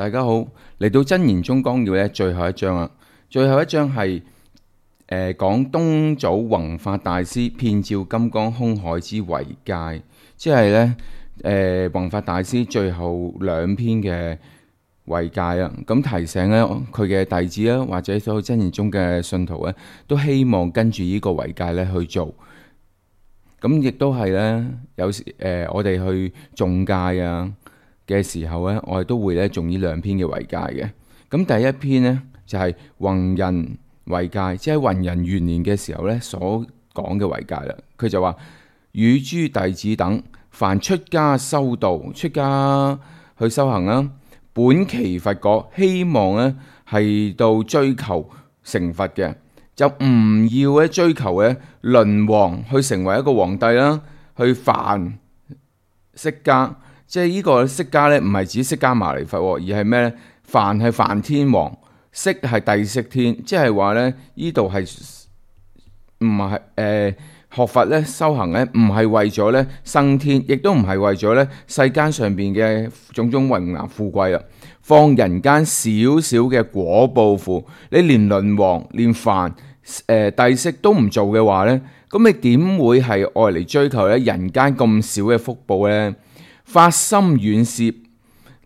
大家好，嚟到真言宗綱要咧最後一章啦。最後一章係講東祖弘法大師遍照金剛空海之遺戒，即係咧弘法大師最後兩篇嘅遺戒啦。咁提醒咧佢嘅弟子啦，或者所有真言宗嘅信徒咧，都希望跟住呢個遺戒咧去做。咁亦都係咧，有時我哋去誦戒啊嘅時候咧，我哋都會咧誦呢兩篇嘅遺戒嘅。咁第一篇呢，就係弘仁遺戒，即係弘仁元年嘅時候咧所講嘅遺戒啦。佢就話：與諸弟子等，凡出家修道、出家去修行啦，本期佛果，希望咧係到追求成佛嘅。就唔要咧追求咧輪王去成為一個皇帝啦，去梵釋迦，即係呢個釋迦咧唔係指釋迦牟尼佛，而係咩咧？梵係梵天王，釋係帝釋天，即係話咧呢度係唔係學佛咧修行咧，唔係為咗咧生天，亦都唔係為咗咧世間上邊嘅種種榮華富貴啦，放人間少少嘅果報苦，你連輪王連梵帝釋都唔做嘅話呢，咁你點會係愛嚟追求咧人間咁少嘅福報呢？發心遠攝，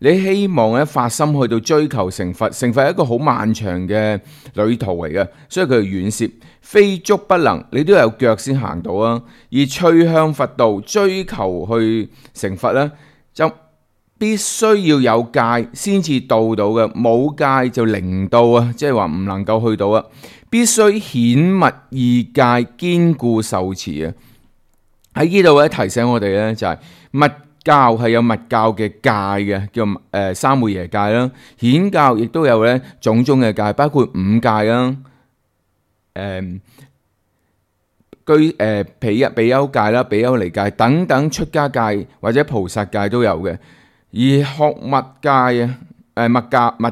你希望咧發心去到追求成佛，成佛係一個好漫長嘅旅途嚟嘅，所以佢係遠攝，非足不能，你都有腳先行到啊！而趨向佛道，追求去成佛呢，就必須要有戒先至到嘅，冇戒就零到啊！即係話唔能夠去到啊！必須顯密二戒，堅固受持啊！喺呢度咧提醒我哋咧就係密教係有密教嘅戒嘅，叫三昧耶戒啦。顯教亦都有咧種種嘅戒，包括五戒啦，比丘戒啦、比丘尼戒等等出家戒或者菩薩戒都有嘅。而學密戒啊，密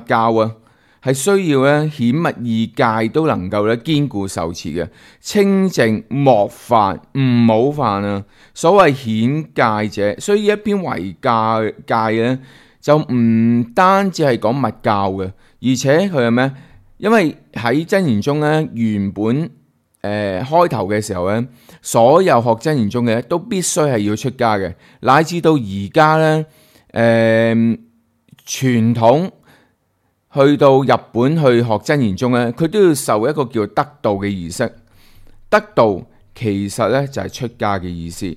教啊，係需要咧顯密二戒都能夠咧堅固受持嘅，清淨莫犯，唔好犯啊！所謂顯戒者，所以一篇遺戒咧就唔單止係講密教嘅，而且佢係咩？因為喺真言宗咧原本開頭嘅時候咧，所有學真言宗嘅都必須係要出家嘅，乃至到而家咧傳統。去到日本去學真言宗咧，佢都要受一個叫得道嘅儀式。得道其實咧就係出家嘅意思。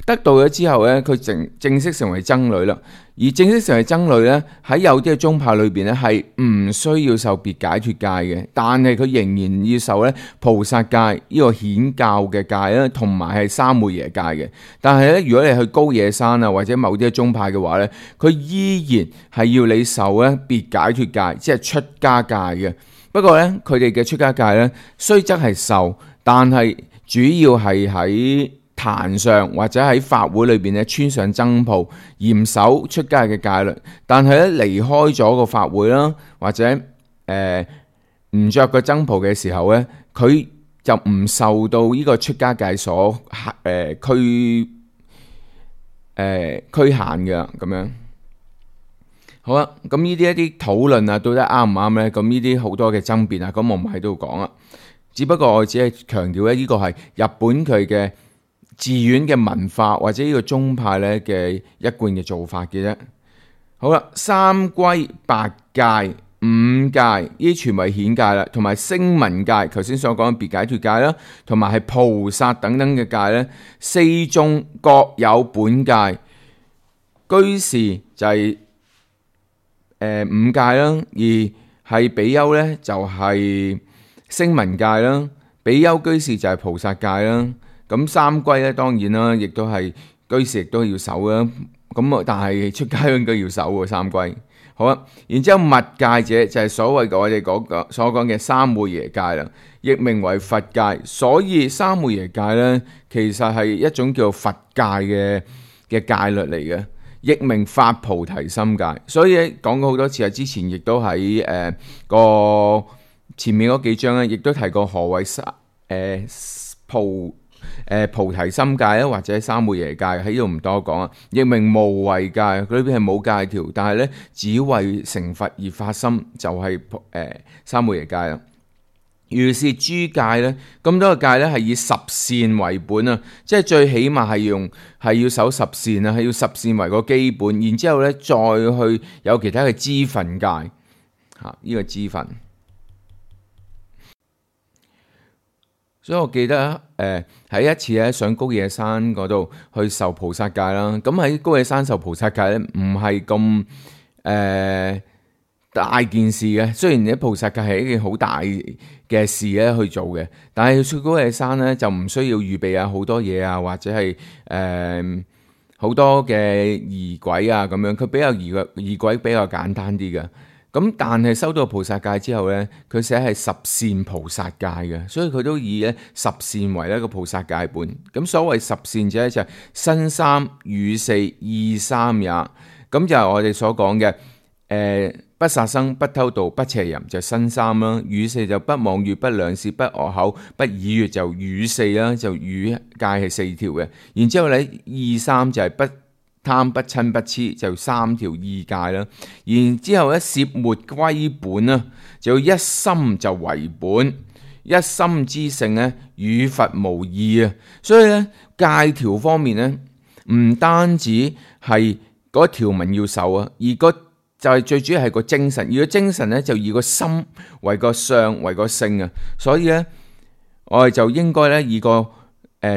得道咗之後咧，佢正式成為僧侶啦。而正式成為僧侶咧，喺有啲嘅宗派裏邊咧係唔需要受別解脫戒嘅，但係佢仍然要受咧菩薩戒呢個顯教嘅戒啦，同埋係三昧耶戒嘅。但係咧，如果你去高野山啊或者某啲嘅宗派嘅話咧，佢依然係要你受咧別解脫戒，即係出家戒嘅。不過咧，佢哋嘅出家戒咧雖則係受，但係主要係喺壇上或者喺法會裏邊咧穿上僧袍，嚴守出家嘅戒律。但係咧離開咗個法會啦，或者唔着個僧袍嘅時候咧，佢就唔受到呢個出家戒所拘限嘅咁樣。好啦，咁呢啲一啲討論啊，到底啱唔啱咧？咁呢啲好多嘅爭辯啊，咁我唔喺度講啦。只不過我只係強調咧，呢個係日本佢嘅寺院嘅文化或者呢個宗派咧嘅一貫嘅做法嘅啫。好啦，三歸八戒、五戒呢啲全為顯戒啦，同埋聲聞戒，頭先所講嘅別解脫戒啦，同埋係菩薩等等嘅戒咧，四宗各有本戒。居士就係五戒啦，而係比丘咧就係聲聞戒啦，比丘居士就係菩薩戒啦。咁三歸咧，當然啦，亦都係居士亦都要守啦。咁但係出家應該要守喎三歸。好啦，然之後密戒者就係所謂嘅我哋所講嘅三昧耶戒啦，亦名為佛戒。所以三昧耶戒咧，其實係一種叫佛戒嘅戒律嚟嘅，亦名發菩提心戒。所以講過好多次啊，之前亦都喺個前面嗰幾章咧，亦都提過何謂菩提心戒啦，或者三昧耶戒，喺呢度唔多講啊。亦名無為戒，佢裏邊係冇戒條，但係咧只為成佛而發心，就係三昧耶戒啦。如是諸戒咧，咁多個戒咧係以十善為本啊，即係最起碼係要守十善啊，係要十善為個基本，然之後咧再去有其他嘅支分戒嚇，呢個支分。所以我記得喺一次咧上高野山嗰度去受菩薩戒啦，咁喺高野山受菩薩戒咧唔係咁大件事嘅，雖然啲菩薩戒係一件好大嘅事咧去做嘅，但係去高野山咧就唔需要預備好多嘢啊，或者係好多嘅儀軌啊咁樣，佢比較儀軌比較簡單啲嘅。咁但係收到菩薩戒之後咧，佢寫係十善菩薩戒嘅，所以佢都以咧十善為一個菩薩戒本。咁所謂十善者就係身三語四意三也，咁就係我哋所講嘅不殺生、不偷盜、不邪淫就身三啦，語四就不妄語、不兩舌、不惡口、不綺語就語四啦，就語戒係四條嘅。然之後咧意三就係不貪、不瞋、不痴，就三條意戒啦。然之後咧攝末歸本啦，就一心就為本，一心之性咧與佛無異啊。所以咧戒條方面咧唔單止係嗰條文要守啊，而就係最主要係個精神，而個精神咧就以個心為個相為個性啊，所以咧我哋就應該咧以個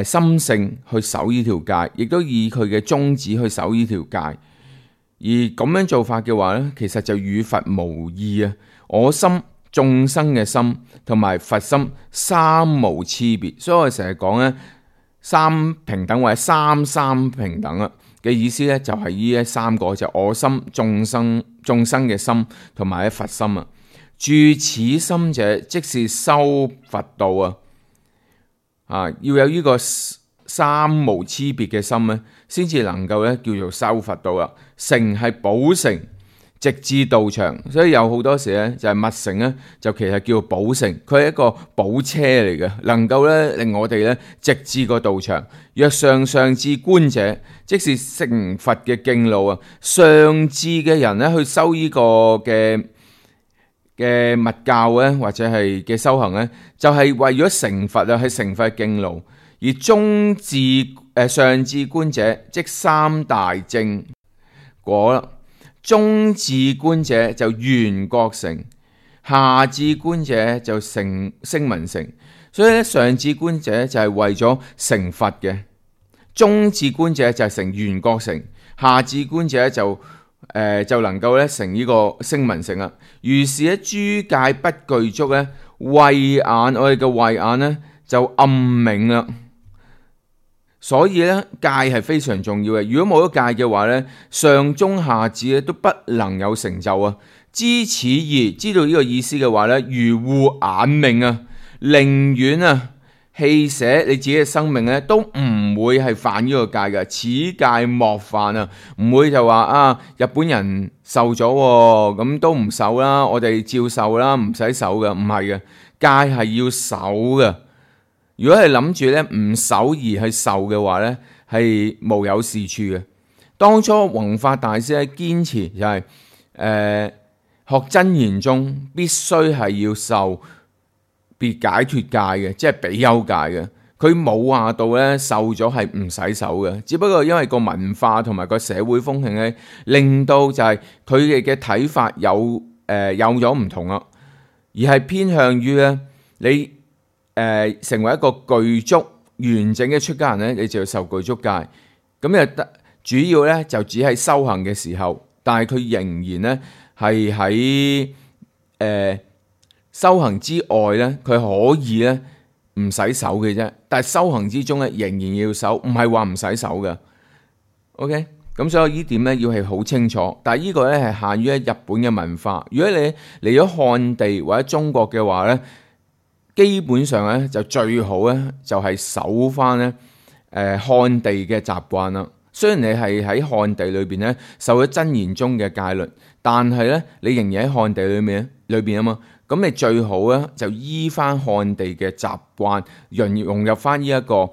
心性去守呢條戒，亦都以佢嘅宗旨去守呢條戒。而咁樣做法嘅話咧，其實就與佛無異啊！我心、眾生嘅心同埋佛心三無差別，所以我成日講咧三平等或者三平等啊。嘅意思咧就係呢三個就我心、眾生嘅心同埋佛心啊。住此心者，即是修佛道啊！要有呢個三無差別嘅心咧，先至能夠咧叫做修佛道啦。乘係寶乘，直至道場，所以有好多時咧就係密乘咧，就其實叫寶乘，佢係一個寶車嚟嘅，能夠咧令我哋咧直至個道場。若上至觀者，即是成佛嘅徑路啊。上至嘅人咧去修呢個嘅密教咧，或者係嘅修行咧，就係為咗成佛啊，係成佛嘅徑路。而上至觀者，即三大正果啦。中至觀者就緣覺乘，下至觀者就聲聞乘。所以咧，上至觀者就係為咗成佛嘅，中至觀者就係成緣覺乘，下至觀者就能夠咧成呢個聲聞乘啦。如是咧，諸戒不具足咧，慧眼我哋嘅慧眼咧就暗冥啦。所以咧，戒係非常重要嘅。如果冇咗戒嘅話咧，上中下至咧都不能有成就啊。知此意，知道呢個意思嘅話咧，如護眼命啊，寧願啊棄捨你自己嘅生命咧，都唔會係犯呢個戒嘅。此戒莫犯啊，唔會就話啊日本人受咗咁都唔受啦，我哋照受啦，唔使守嘅，唔係嘅，戒係要守嘅。如果係諗住咧唔守而去受嘅話咧，係無有是處嘅。當初弘法大師咧堅持就係學真言宗必須係要受別解脫戒嘅，即係比丘戒嘅。佢冇話到咧受咗係唔使守嘅，只不過因為個文化同埋個社會風氣咧，令到就係佢哋嘅睇法有咗唔同啦，而係偏向於咧你成為一個具足完整嘅出家人咧，你就要受具足戒。咁又得主要咧就只係修行嘅時候，但係佢仍然咧係喺修行之外咧，佢可以咧唔使守嘅啫。但係修行之中咧仍然要守，唔係話唔使守嘅。OK，咁所以呢點咧要係好清楚。但係呢個咧係限於日本嘅文化。如果你嚟咗漢地或者中國嘅話咧，基本上咧就最好咧就係守翻咧漢地嘅習慣啦。雖然你係喺漢地裏邊咧受咗真言宗嘅戒律，但係咧你仍然喺漢地裏邊啊嘛。咁你最好咧就依翻漢地嘅習慣，融入翻呢一個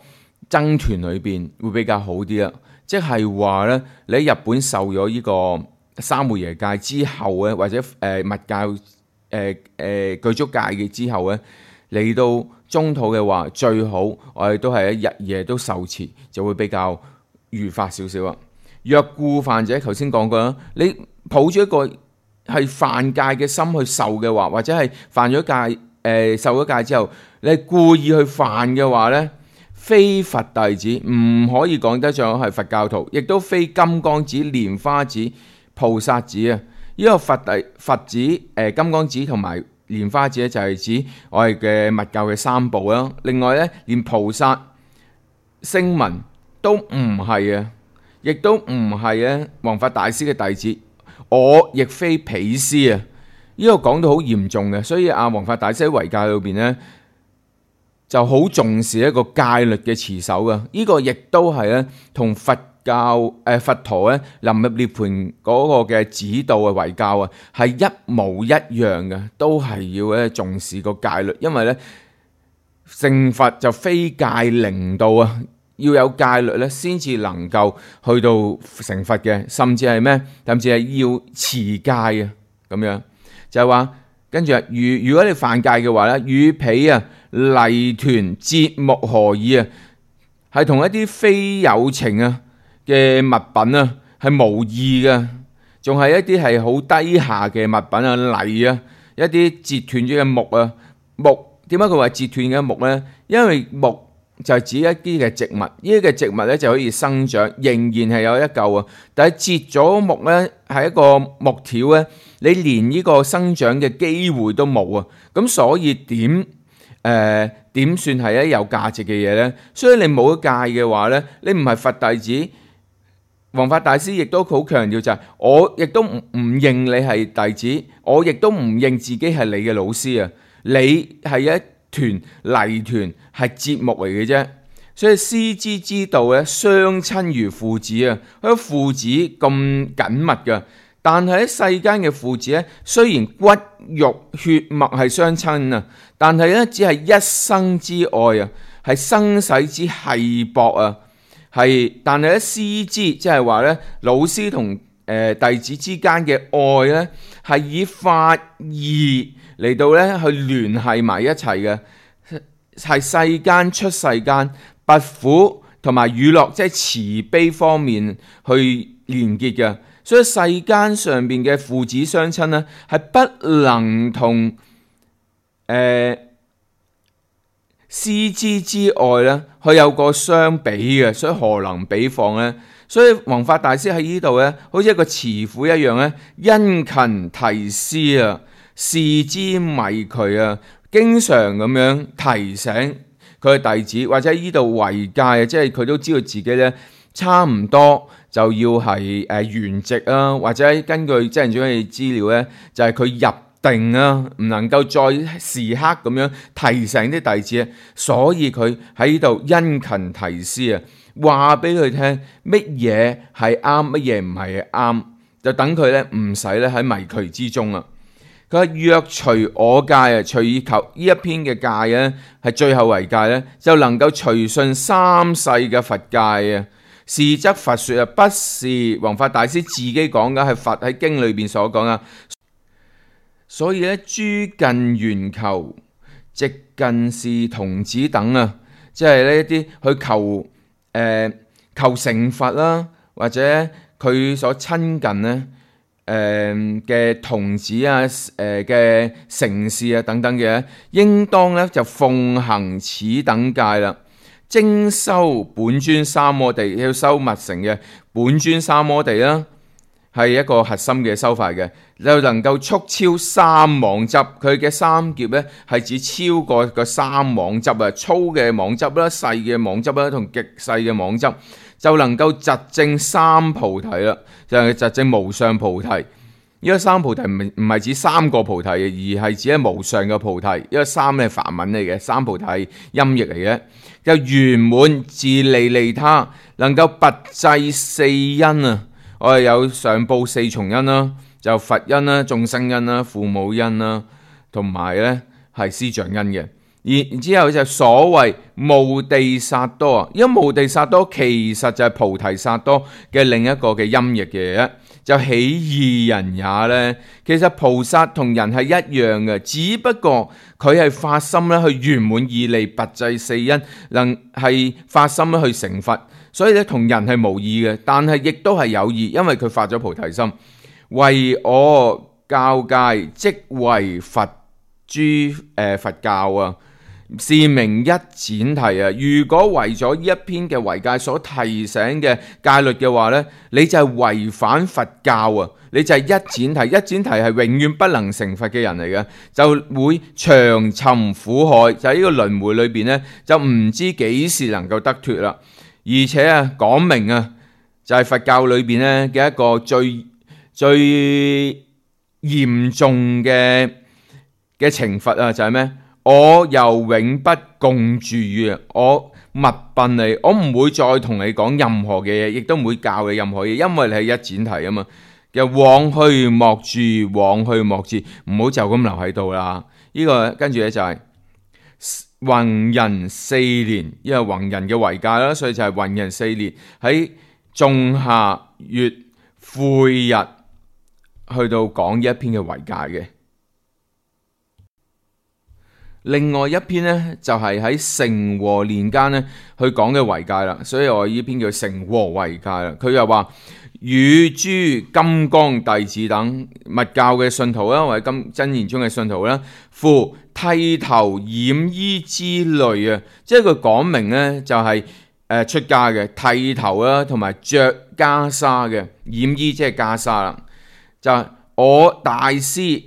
僧團裏邊會比較好啲啦。即係話咧，你喺日本受咗呢個三昧耶戒之後咧，或者密教具足戒嘅之後咧，嚟到中土嘅話，最好我哋都係一日夜都受持，就會比較愉快少少啊。若故犯者，頭先講過啦，你抱住一個係犯戒嘅心去受嘅話，或者係犯咗戒受咗戒之後，你係故意去犯嘅話咧，非佛弟子，唔可以講得上係佛教徒，亦都非金剛子、蓮花子、菩薩子啊！呢個佛子、金剛子同埋蓮花子咧，就係指我哋嘅密教嘅三寶啦。另外咧，連菩薩、聲聞都唔係啊，亦都唔係咧弘法大師嘅弟子。我亦非彼師啊！呢個講到好嚴重嘅，所以弘法大師喺遺戒裏邊咧，就好重視一個戒律嘅持守嘅。呢個亦都係咧同佛陀咧臨入涅槃嗰個嘅指導嘅遺教啊，係一模一樣嘅，都係要咧重視個戒律，因為咧成佛就非戒靈道啊，要有戒律咧先至能夠去到成佛嘅，甚至係咩？甚至係要持戒啊，咁樣就係話，跟住如果你犯戒嘅話咧，與彼泥團節目何異啊？係同一啲非有情嘅物品係無異嘅，仲係一啲係好低下嘅物品泥一啲截斷咗嘅木點解佢話截斷嘅木呢？因為木就係指一啲嘅植物，呢啲嘅植物咧就可以生長，仍然係有一嚿但係截咗木咧，係一個木條咧，你連呢個生長嘅機會都冇啊！咁所以點算係有價值嘅嘢呢？所以你冇戒嘅話呢，你唔係佛弟子。弘法大師亦都好強調就係，我亦都唔認你係弟子，我亦都唔認自己係你嘅老師啊！你係一團泥團，係節目嚟嘅啫。所以師之之道咧，相親如父子啊！佢父子咁緊密噶，但係喺世間嘅父子咧，雖然骨肉血脈係相親啊，但係咧只係一生之愛啊，係生死之繫薄啊。但係咧師之，即係話咧老師同弟子之間嘅愛咧，係以法義嚟到咧去聯繫埋一齊嘅，係世間出世間，拔苦同埋與樂，即係慈悲方面去連結嘅。所以世間上邊嘅父子相親咧，係不能同師之之愛咧，佢有個相比嘅，所以何能比放呢？所以弘法大師喺呢度咧，好似一個慈父一樣咧，殷勤提師啊，示之迷渠啊，經常咁樣提醒佢嘅弟子，或者呢度遺戒啊，即係佢都知道自己咧差唔多就要係圓寂啊，或者根據真人傳嘅資料咧，就係佢入定唔能夠再時刻咁樣提醒啲弟子，所以佢喺呢度殷勤提師啊，話俾佢聽乜嘢係啱，乜嘢唔係啱，就等佢咧唔使咧喺迷渠之中啊。佢話若隨我戒隨求呢一篇嘅戒咧，係最後遺戒咧，就能夠隨順三世嘅佛戒啊。是則佛說啊，不是弘法大師自己講噶，係佛喺經裏邊所講啊。所以咧，諸近圓求、直近是童子等啊，即係呢一啲去求成佛啦，或者佢所親近咧嘅童子啊、嘅承事啊等等嘅，應當咧就奉行此等戒啦。精修本尊三摩地，要修密乘嘅本尊三摩地啦，係一個核心嘅修法嘅，就能夠速超三妄執。佢嘅三劫咧係指超過個三妄執啊，粗嘅妄執啦、細嘅妄執啦同極細嘅妄執，就能夠疾證三菩提啦，就係疾證無上菩提。呢個三菩提唔係指三個菩提，而係指係無上嘅菩提。因為三係梵文嚟嘅，三菩提係音譯嚟嘅，就圓滿自利利他，能夠拔濟四因啊！我哋有上報四重因啦，就佛因啦、眾生因啦、父母因啦，同埋咧係師長因嘅。然之後就所謂慕地薩多啊，因為慕地薩多其實就係菩提薩多嘅另一個嘅音譯嘅，就起義人也呢。其實菩薩同人係一樣嘅，只不過佢係發心咧去圓滿義利拔濟四因，能係發心咧去成佛，所以咧同人係無異嘅，但係亦都係有異，因為佢發咗菩提心，為我教誡即為佛佛教啊。是名一闡提啊！如果為咗呢一篇嘅遺戒所提醒嘅戒律嘅話呢，你就係違反佛教啊！你就係一闡提，一闡提係永遠不能成佛嘅人嚟嘅，就會長尋苦海，就喺呢個輪迴裏邊呢，就唔知幾時能夠得脫啦。而且啊，講明啊，就係佛教裏邊呢嘅一個最嚴重嘅懲罰啊，就係咩？我又永不共住與我密訓你，我唔會再同你講任何嘅嘢，亦都唔會教你任何嘢，因為你係一闡提啊嘛。又往去莫住，往去莫至，唔好就咁留喺度啦。呢個跟住咧就係弘仁4年，因為弘仁嘅遺戒啦，所以就係弘仁4年喺仲夏月晦日去到講呢一篇嘅遺戒嘅。另外一篇呢，就係喺成和年間呢去講嘅遺戒啦，所以我呢篇叫成和遺戒啦。佢又話與諸金剛弟子等密教嘅信徒啦，或者真言宗嘅信徒啦，夫剃頭染衣之類啊，即係佢講明呢，就係出家嘅剃頭啦，同埋着袈裟嘅染衣即係袈裟啦，就係我大師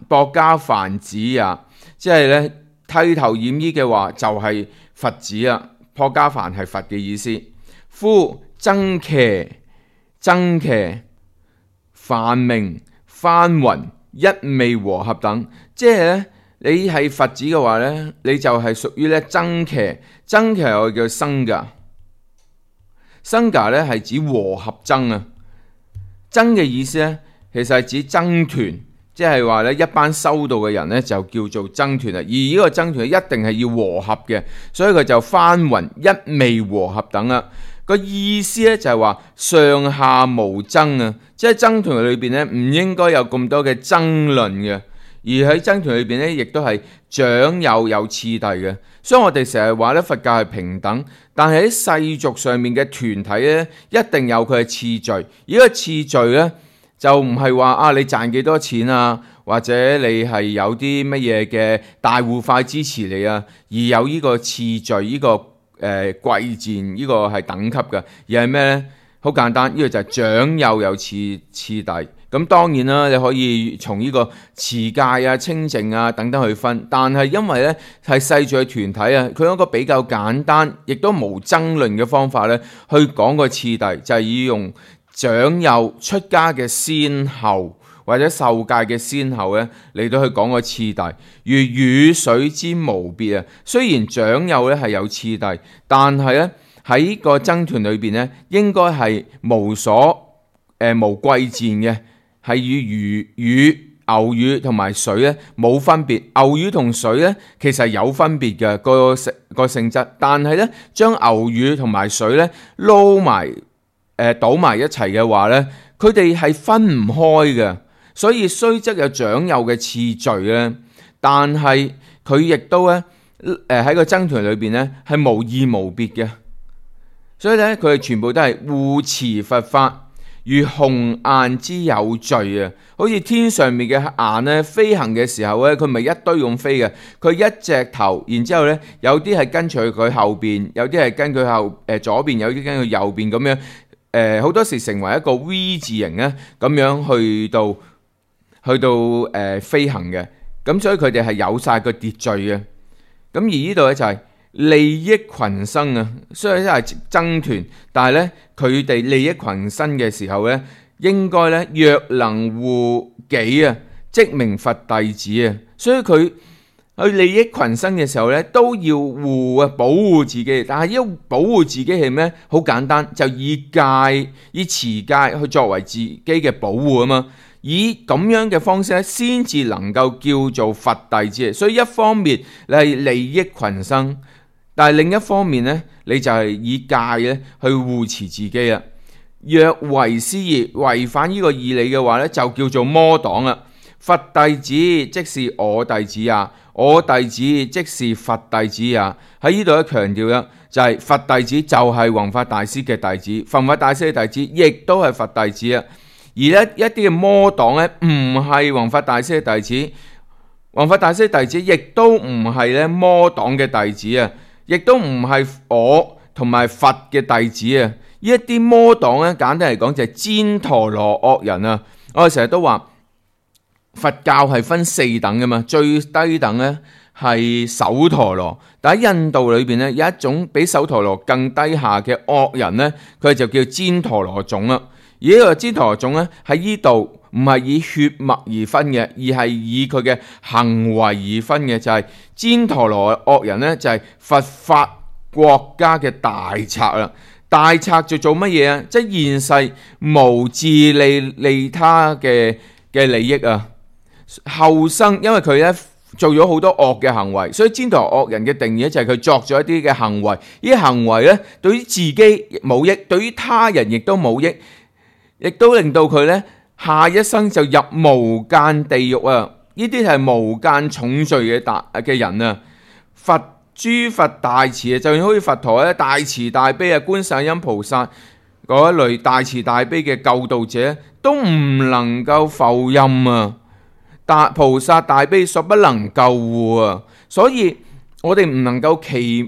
薄伽梵子啊。即係咧剃頭染衣嘅話就係佛子啊，薄伽梵係佛嘅意思。夫僧伽梵名翻雲一味和合等，即係咧你係佛子嘅話咧，你就係屬於咧僧伽我叫僧伽咧係指和合僧啊。僧嘅意思咧其實係指僧團。即係話咧，一班修道嘅人咧就叫做僧團啊，而呢個僧團一定係要和合嘅，所以佢就翻雲一味和合等啦。個意思咧就係話上下無爭啊，即係僧團裏邊咧唔應該有咁多嘅爭論嘅，而喺僧團裏邊咧亦都係長幼有次第嘅。所以我哋成日話咧佛教係平等，但係喺世俗上面嘅團體咧一定有佢嘅次序，而呢個次序咧。就唔係話你賺幾多錢啊，或者你係有啲乜嘢嘅大戶塊支持你啊，而有呢個次序，呢個貴賤，呢個係等級嘅，而係咩呢？好簡單，呢個就係長幼有次第。咁當然啦，你可以從呢個持戒啊、清淨啊等等去分，但係因為呢係世俗嘅團體啊，佢有一個比較簡單，亦都無爭論嘅方法呢去講個次第，就係以用長幼出家嘅先後或者受戒嘅先後咧嚟到去講個次第，如雨水之無別啊。雖然長幼咧係有次第，但係咧喺個僧團裏邊咧應該係無貴賤嘅，係與牛乳同埋水咧冇分別。牛乳同水咧其實係有分別嘅個性質，但係咧將牛乳同埋水咧撈埋。倒埋一齊嘅話呢，佢哋係分唔開嘅，所以雖則有長幼嘅次序咧，但係佢亦都咧喺個僧團裏邊咧係無異無別嘅，所以咧佢哋全部都係護持佛法，如鴻雁之有序啊，好似天上面嘅雁咧飛行嘅時候咧，佢唔係一堆咁飛嘅，佢一隻頭，然之後咧有啲係跟隨佢後邊，有啲係跟佢左邊，有啲跟佢右邊咁樣。好多時成為一個 V 字形咧，咁樣去到飛行嘅，咁所以佢哋係有晒個秩序嘅。咁而呢度咧就係利益群生啊，雖然都係僧團，但係咧佢哋利益群生嘅時候咧，應該咧若能護己啊，即名佛弟子啊，所以佢去利益群生嘅時候咧，都要護啊，保護自己。但係要保護自己係咩？好簡單，就以持戒去作為自己嘅保護啊嘛。以咁樣嘅方式咧，先至能夠叫做佛弟子。所以一方面你係利益群生，但係另一方面咧，你就係以戒咧去護持自己啊。若違師義，違反呢個義理嘅話咧，就叫做魔黨啦。佛弟子即是我弟子啊，我弟子即是佛弟子啊。喺呢度咧強調啦，就係佛弟子就係弘法大師嘅弟子，弘法大師嘅弟子亦都係佛弟子啊。而咧一啲嘅魔黨咧，唔係弘法大師嘅弟子，弘法大師嘅弟子亦都唔係咧魔黨嘅弟子啊，亦都唔係我同埋佛嘅弟子啊。呢一啲魔黨咧，簡單嚟講就係旃陀羅惡人啊。我哋成日都話佛教係分4等噶嘛，最低等咧係首陀羅，但喺印度裏邊咧有一種比首陀羅更低下嘅惡人咧，佢就叫旃陀羅種啦。而呢個旃陀羅種咧喺呢度唔係以血脈而分嘅，而係以佢嘅行為而分嘅，就係旃陀羅惡人咧就係佛法國家嘅大賊啦。大賊就做乜嘢啊？即係現世無自利他嘅利益啊！後生因為佢咧做咗好多惡嘅行為，所以旃陀羅惡人嘅定義就係佢作咗一啲嘅行為，呢啲行為咧對於自己冇益，對於他人亦都冇益，亦都令到佢咧下一生就入無間地獄啊！呢啲係無間重罪嘅人啊！諸佛大慈啊，就好似佛陀咧大慈大悲啊，觀世音菩薩嗰一類大慈大悲嘅救度者都唔能夠浮任啊！菩薩大悲所不能救護啊！所以我哋唔能夠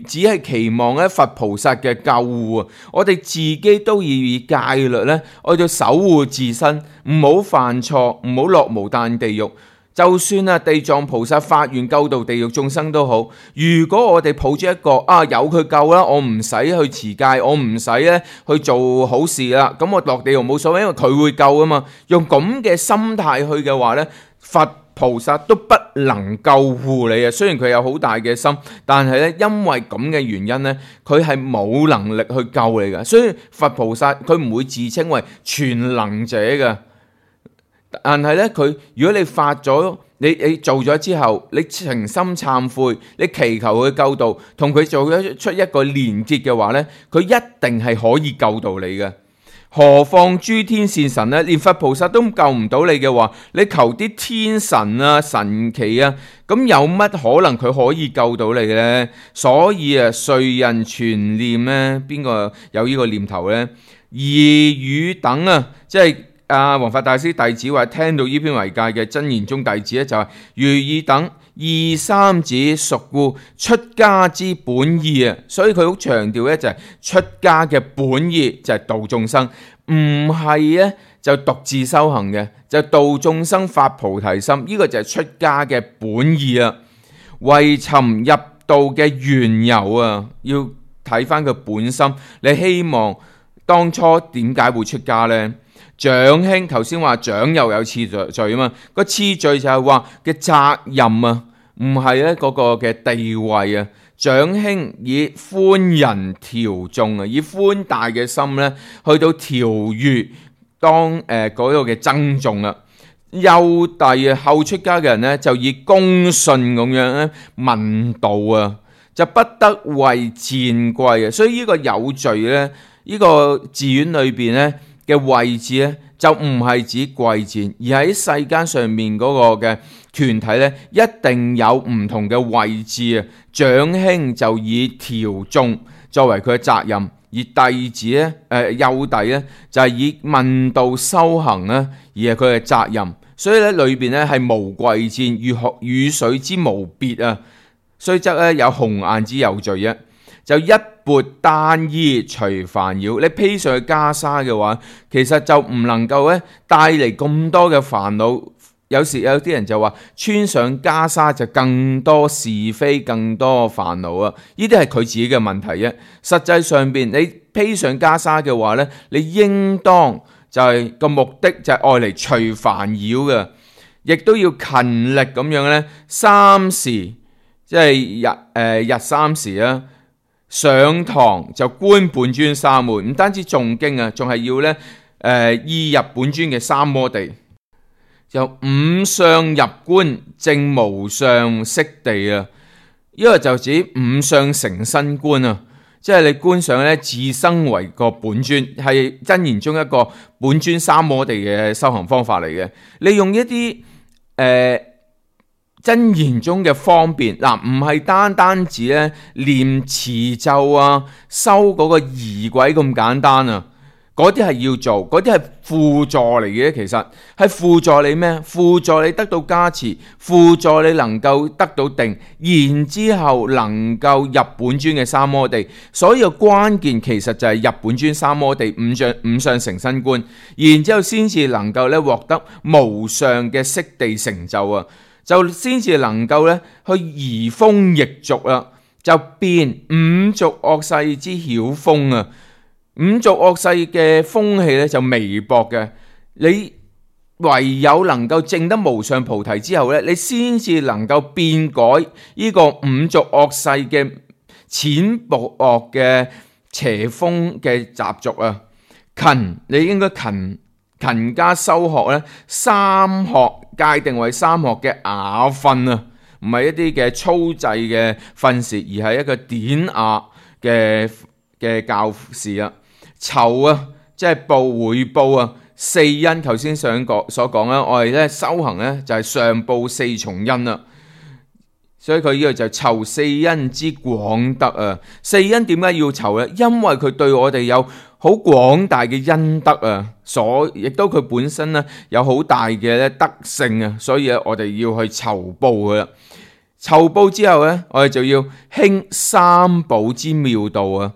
只係期望咧佛菩薩嘅救護啊！我哋自己都要以戒律咧，我哋守護自身，唔好犯錯，唔好落無間地獄。就算啊地藏菩薩發願救度地獄眾生都好，如果我哋抱住一個有佢救啦，我唔使去持戒，我唔使咧去做好事啦，咁我落地獄冇所謂，因為佢會救啊嘛。用咁嘅心態去嘅話咧，佛菩薩都不能救護你啊。雖然佢有好大嘅心，但係咧因為咁嘅原因咧，佢係冇能力去救你嘅。所以佛菩薩佢唔會自稱為全能者嘅。但係咧，佢如果你發咗，你做咗之後，你誠心懺悔，你祈求佢救度，同佢做出一個連結嘅話咧，佢一定係可以救到你嘅。何況諸天善神咧，連佛菩薩都救唔到你嘅話，你求啲天神啊、神奇啊，咁有乜可能佢可以救到你呢？所以啊，誰人全念呢？邊個有呢個念頭呢？異語等啊，即係弘法大師弟子話聽到呢篇為戒嘅真言宗弟子咧，就係如意等二三子屬故出家之本意啊，所以佢好強調咧就係出家嘅本意就係度眾生，唔係咧就獨自修行嘅，就度眾生發菩提心，呢個就係出家嘅本意啊。為尋入道嘅緣由啊，要睇翻佢本心，你希望當初點解會出家呢？長兄頭先話長又有次序啊嘛，個次序就係話嘅責任啊，唔係咧嗰個嘅地位啊。長兄以寬仁調眾啊，以寬大嘅心咧去到調御當嗰個嘅僧眾啊。幼弟啊，後出家嘅人咧就以恭順咁樣咧問道啊，就不得為賤貴啊。所以呢個有序咧，呢個寺院裏邊咧嘅位置咧，就唔係指貴賤，而喺世間上面嗰個嘅團體咧，一定有唔同嘅位置啊。長兄就以調眾作為佢嘅責任，而弟子咧，幼弟咧就係以問道修行咧，而係佢嘅責任。所以咧裏邊咧係無貴賤，如雨水之無別啊。雖則咧有紅顏之有序啫。就一缽單衣除煩擾，你披上去袈裟嘅話，其實就唔能夠咧帶嚟咁多嘅煩惱。有時有啲人就話穿上袈裟就更多是非，更多煩惱啊！呢啲係佢自己嘅問題啫。實際上邊你披上袈裟嘅話咧，你應當就係個目的就係愛嚟除煩擾嘅，亦都要勤力咁樣咧三時，即係日三時啊。上堂就觀本尊三昧，唔單止誦經啊，仲係要咧意入本尊嘅三摩地。就五相入觀，正無相悉地啊！呢個就指五相成身觀啊，即係你觀想咧自生為個本尊，係真言中一個本尊三摩地嘅修行方法嚟嘅。你用一啲真言中嘅方便，唔係單止咧念持咒啊，修嗰個儀軌咁簡單啊。嗰啲係要做，嗰啲係輔助嚟嘅，其實係輔助你咩？輔助你得到加持，輔助你能夠得到定，然之後能夠入本尊嘅三摩地。所以個關鍵其實就係入本尊三摩地五相成身觀，然之後先至能夠咧獲得無上嘅悉地成就啊！就先至能夠咧去移風易俗啦，就變五濁惡世之曉風啊！五濁惡世嘅風氣咧就微薄嘅，你唯有能夠證得無上菩提之後咧，你先至能夠變改呢個五濁惡世嘅淺薄惡嘅邪風嘅習俗啊！你應該勤加修學咧，三學界定為三學嘅雅訓啊，唔係一啲嘅粗製嘅訓示，而係一個典雅嘅教示啊。酬啊，即係回報啊，四因頭先所講啦，我哋咧修行咧就係上報四重因啦，所以佢呢個就酬四因之廣德啊。四因點解要酬咧？因為佢對我哋有好廣大嘅恩德啊，亦都佢本身咧有好大嘅咧德性啊，所以咧我哋要去酬報佢啦。酬報之後咧，我哋就要興三寶之妙道啊。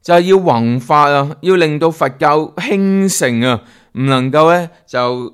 就係要弘法啊，要令到佛教興盛啊，唔能夠咧就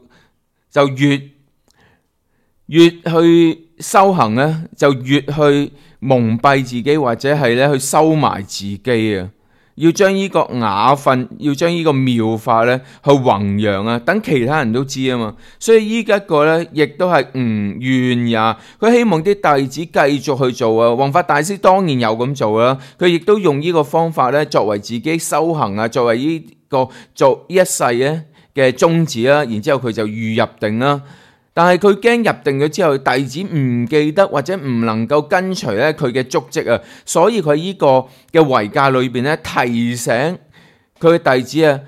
越去修行咧，就越去蒙蔽自己，或者係咧去收埋自己啊。要將呢個雅訓，要將呢個妙法咧去弘揚啊，等其他人都知啊嘛。所以呢一個咧，亦都係唔願也。佢希望啲弟子繼續去做啊。弘法大師當然有咁做啦，佢亦都用呢個方法咧作為自己修行啊，作為呢個做一世咧嘅宗旨啦。然之後佢就預入定啦。但係佢驚入定咗之後，弟子唔記得或者唔能夠跟隨咧佢嘅足跡啊，所以佢呢個嘅遺戒裏邊咧提醒佢嘅弟子啊，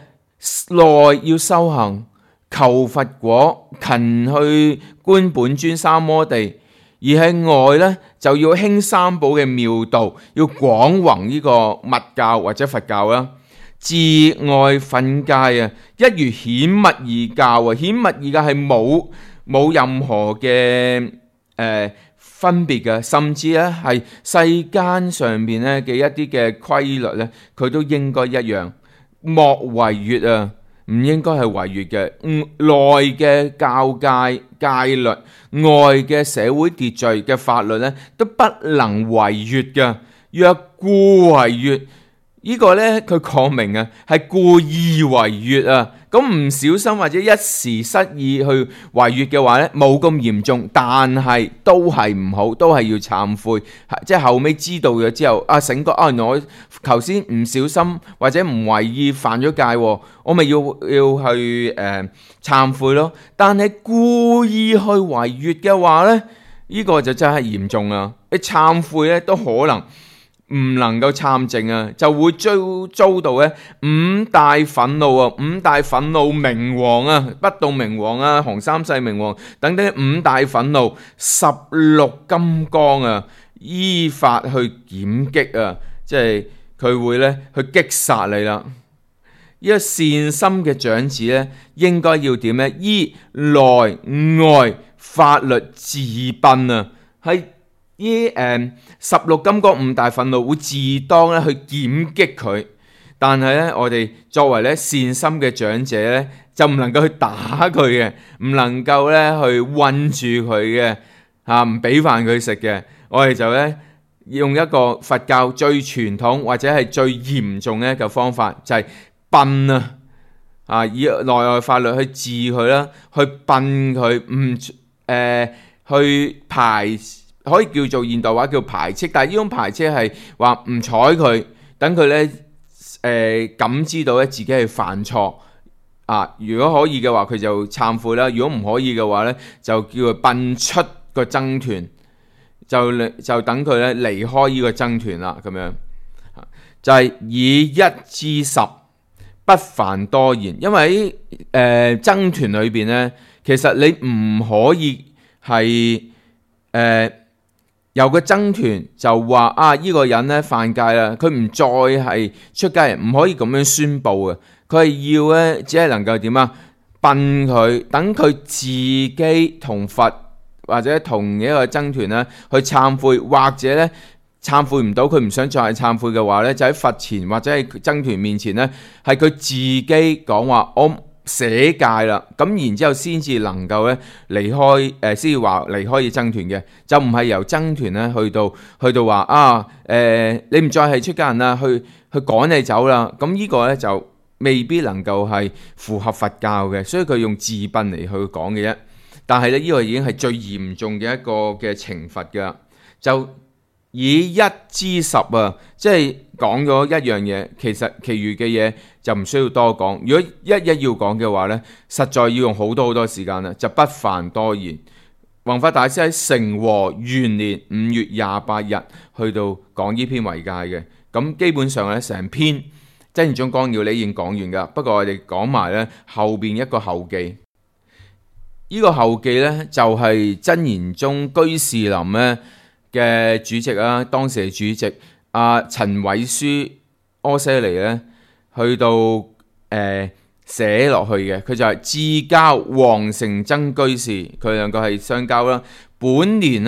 內要修行求佛果，勤去觀本尊三摩地，而喺外咧就要興三寶嘅妙道，要廣弘呢個密教或者佛教啦。自外訓戒啊，一如顯密二教啊，顯密二教係冇任何嘅分別嘅，甚至咧係世間上邊咧嘅一啲嘅規律咧，佢都應該一樣，莫違越啊，唔應該係違越嘅。內嘅教戒戒律，外嘅社會秩序嘅法律咧，都不能違越嘅。若故違越，呢個咧佢講明啊，係故意違越啊。咁唔小心或者一時失意去違越嘅話咧，冇咁嚴重，但係都係唔好，都係要懺悔。即係後尾知道咗之後，醒覺原來我頭先唔小心或者唔為意犯咗戒，我咪要去懺悔咯。但係故意去違越嘅話咧，呢個就真係嚴重啊！你懺悔咧都可能唔能夠參證啊，就會遭到咧五大憤怒啊，五大憤怒明王啊，不動明王啊，洪三世明王等等五大憤怒16金剛啊，依法去檢擊啊，即係佢會咧去擊殺你啦。呢個善心嘅長子咧，應該要點咧？依內外法律自殯啊，係。呢16金剛五大憤怒會自當咧去檢擊佢，但係咧我哋作為咧善心嘅長者咧，就唔能夠去打佢嘅，唔能夠咧去困住佢嘅，唔俾飯佢食嘅。我哋就咧用一個佛教最傳統或者係最嚴重嘅一個方法，就係殯啊，以內外法律去治佢啦，去殯佢，去排。可以叫做現代話叫排斥，但係呢種排斥係話唔睬佢，等佢咧感知到咧自己係犯錯，如果可以嘅話，佢就懺悔啦；如果唔可以嘅話呢，就叫佢擯出個僧團，就等佢咧離開呢個僧團啦。咁樣就係以一知十，不煩多言。因為喺僧團裏邊呢，其實你唔可以係有個僧團就話呢個人咧犯戒啦，佢唔再係出家人，唔可以咁樣宣佈嘅。佢係要咧，只係能夠點擯佢，等佢自己同佛或者同一個僧團咧去懺悔，或者咧懺悔唔到，佢唔想再係懺悔嘅話咧，就喺佛前或者係僧團面前咧，係佢自己講話我捨戒啦，咁然之後先至能夠咧離開先至話離開僧團嘅，就唔係由僧團咧去到話你唔再係出家人啦，去趕你走啦。咁呢個咧就未必能夠係符合佛教嘅，所以佢用自擯嚟去講嘅啫。但係咧呢個已經係最嚴重嘅一個嘅懲罰㗎，就以一知十即係講咗一樣嘢，其實其餘嘅嘢就唔需要多講。如果一要講嘅話呢，實在要用好多時間啦，就不煩多言。弘法大師喺成和元年5月28日去到講呢篇遺戒嘅，咁基本上呢，成篇真言宗綱要你已經講完噶，不過我哋講埋呢後邊一個後記。呢個後記呢，就係真言宗居士林呢嘅主席啊，當時嘅主席陳偉書柯舍尼咧，去到寫落去嘅，佢就係至交黃成曾居士，佢兩個係相交啦。本年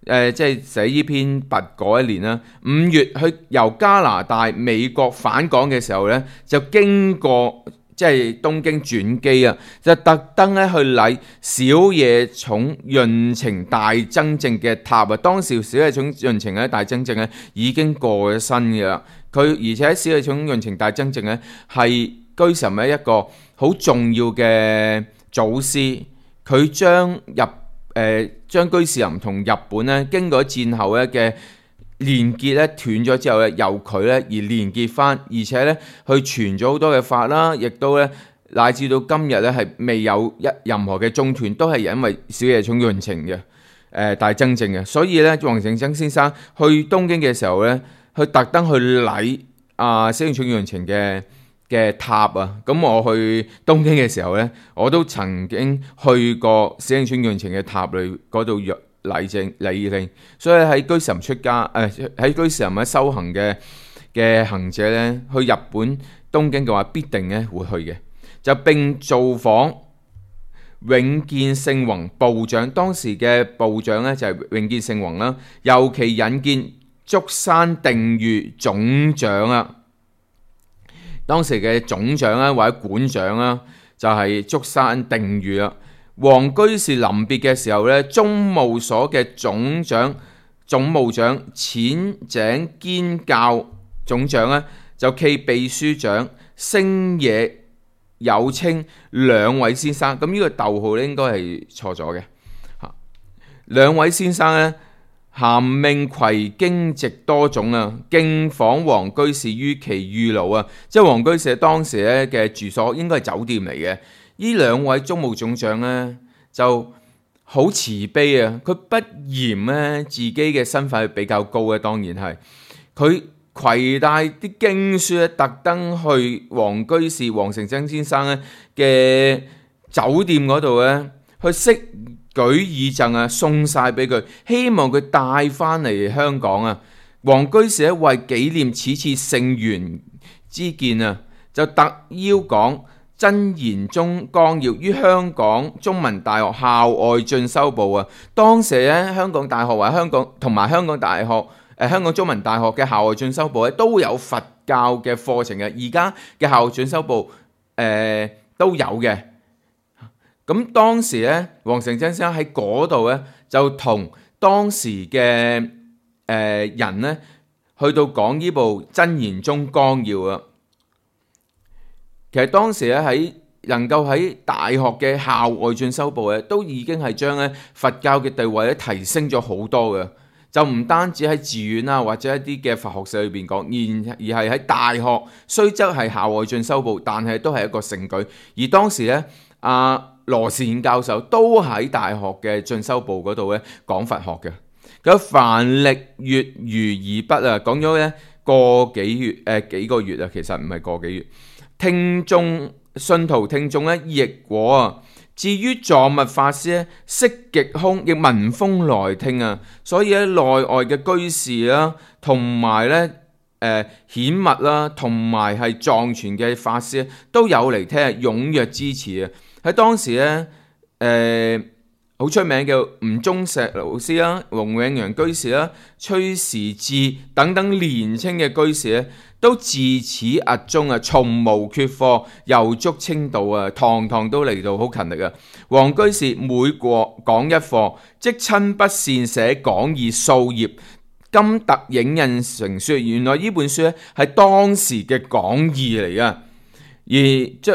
即係寫呢篇跋嗰一年啦，5月去由加拿大、美國返港嘅時候咧，就經過即係東京轉機啊，就特登咧去禮小野塚潤情大僧正嘅塔啊。當時小野塚潤情咧大僧正咧已經過咗身嘅啦。佢而且小野塚潤情大僧正咧係居士林一個好重要嘅祖師，佢將居士林同日本咧經過戰後咧嘅連結咧斷咗之後咧，由佢咧而連結翻，而且咧去傳咗好多嘅法啦，亦都咧乃至到今日咧係未有任何嘅中斷，都係因為小野塚潤情嘅大僧正嘅。所以咧，黃成曾先生去東京嘅時候咧，去特登去禮小野塚潤情嘅塔啊。咁我去東京嘅時候咧，我都曾經去過小野塚潤情嘅塔裏嗰度禮敬，所以喺居士林出家喺居士林喺修行嘅行者咧，去日本東京嘅話，必定咧會去嘅。就並造訪永見聖宏部長，當時嘅部長咧就係永見聖宏啦，尤其引見竹山定御總長啊。當時嘅總長啦或者館長啦，就係竹山定御啦。黃居士臨別嘅時候咧，宗務所嘅總務長淺井堅教總長咧，就暨秘書長星野有清兩位先生，咁呢個逗號咧應該係錯咗嘅。兩位先生咧，咸命攜經籍多種啊，敬訪黃居士於其寓牢啊，即係黃居士當時咧嘅住所應該係酒店嚟嘅。呢兩位宗務總長咧就好慈悲啊，佢不嫌咧自己嘅身份比較高嘅，當然係佢攜帶啲經書咧，特登去黃成曾先生咧嘅酒店嗰度咧，去悉舉以贈啊，送晒俾佢，希望佢帶翻嚟香港啊。黃居士咧為紀念此次聖緣之見啊，就特邀講真言宗綱要於香港中文大學校外進修部啊。當時咧香港大學或者香港同埋香港大學香港中文大學嘅校外進修部咧都有佛教嘅課程嘅，而家嘅校外進修部都有嘅。咁當時咧，黃成曾先生喺嗰度咧就同當時嘅人咧去到講呢部真言宗綱要啊。其實當時咧能夠喺大學嘅校外進修部咧，都已經係將咧佛教嘅地位咧提升咗好多嘅。就唔單止喺寺院啊或者一啲嘅佛學社裏邊講，而係喺大學，雖則係校外進修部，但係都係一個盛舉。而當時咧，羅士憲教授都喺大學嘅進修部嗰度咧講佛學嘅。咁凡歷月如爾筆啊，講咗咧幾個月啊，其實唔係個幾月。信徒聽眾咧亦果啊。至於藏密法師咧，色極空，亦聞風來聽啊。所以咧，內外嘅居士啦，同埋咧顯密啦，同埋係藏傳嘅法師都有嚟聽，踴躍支持啊。喺當時咧，好出名嘅吳宗石老師啦、黃永陽居士啦、崔時智等等年青嘅居士咧，都自始壓中啊，從無缺課，又足清道啊，堂堂都嚟到，好勤力啊。黃居士每講一課，即親筆繕寫講義數頁，今特影印成書。原來呢本書咧係當時嘅講義嚟噶，而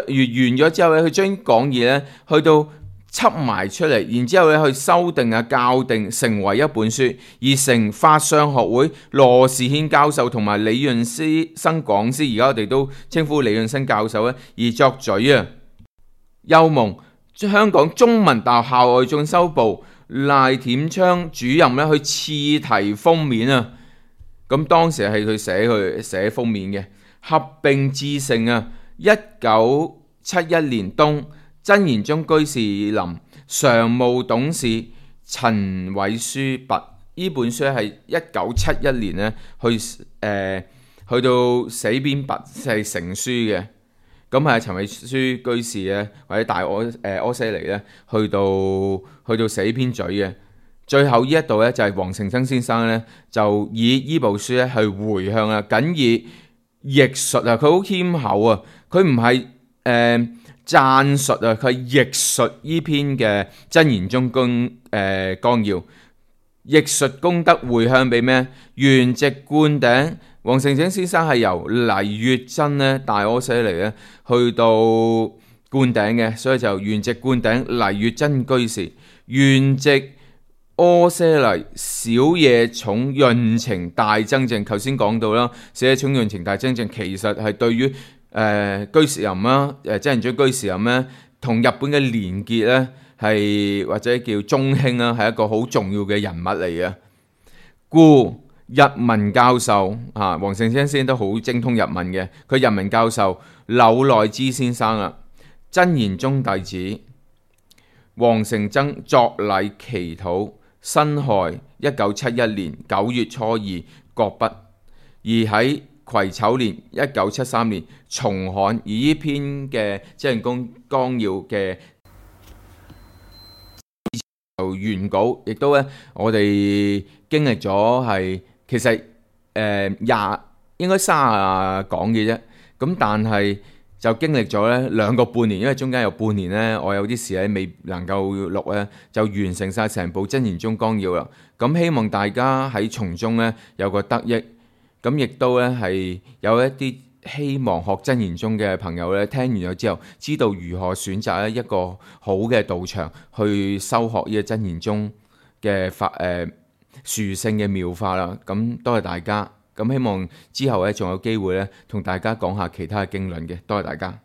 完咗之後咧，佢將講義咧去到輯埋出嚟，然之後咧去修訂啊、校訂，成為一本書，而成法相學會羅士憲教授同埋李潤生講師，而家我哋都稱呼李潤生教授咧，而作序啊。又蒙香港中文大學校外進修部賴恬昌主任咧去刺題封面啊。咁當時係佢寫封面嘅，合併致成啊。1971年冬，真言宗居士林常務董事陳偉書跋，呢本書係1971年咧去到死編跋係成書嘅。咁係陳偉書居士咧，或者大柯西尼咧，去到死編嘴嘅。最後呢一度咧就係黃成曾先生咧，就以呢部書咧去回向啊，僅以譯述啊，佢好謙厚啊，佢唔係讚述啊，佢係譯述呢篇嘅真言宗綱要，譯述功德回向俾咩？圓寂灌頂。黃成曾先生係由黎月真咧大柯西尼咧去到灌頂嘅，所以就圓寂灌頂黎月真居士，圓寂柯西尼小野重潤情大增正。頭先講到啦，小野重潤情大增正其實係對於居士林啦，真言宗居士林咧，同日本嘅連結咧，係或者叫中興啦，係一個好重要嘅人物嚟嘅。故日文教授黃成曾先生都好精通日文嘅，佢日文教授柳內之先生啊，真言宗弟子。黃成曾作禮祈禱，辛亥1971年9月初2擱筆，而喺癸丑年1973年重刊，而呢篇嘅真言宗綱要嘅原稿，亦都咧我哋經歷咗係其實應該30講嘅啫，咁但係就經歷咗咧2個半年，因為中間有半年咧我有啲事咧未能夠錄咧，就完成晒成部真言宗綱要啦。咁希望大家喺從中咧有個得益。咁亦都咧係有一啲希望學真言宗嘅朋友咧，聽完咗之後，知道如何選擇一個好嘅道場去修學呢個真言宗嘅殊勝嘅妙法啦。咁多謝大家，咁希望之後咧仲有機會咧同大家講下其他嘅經論嘅，多謝大家。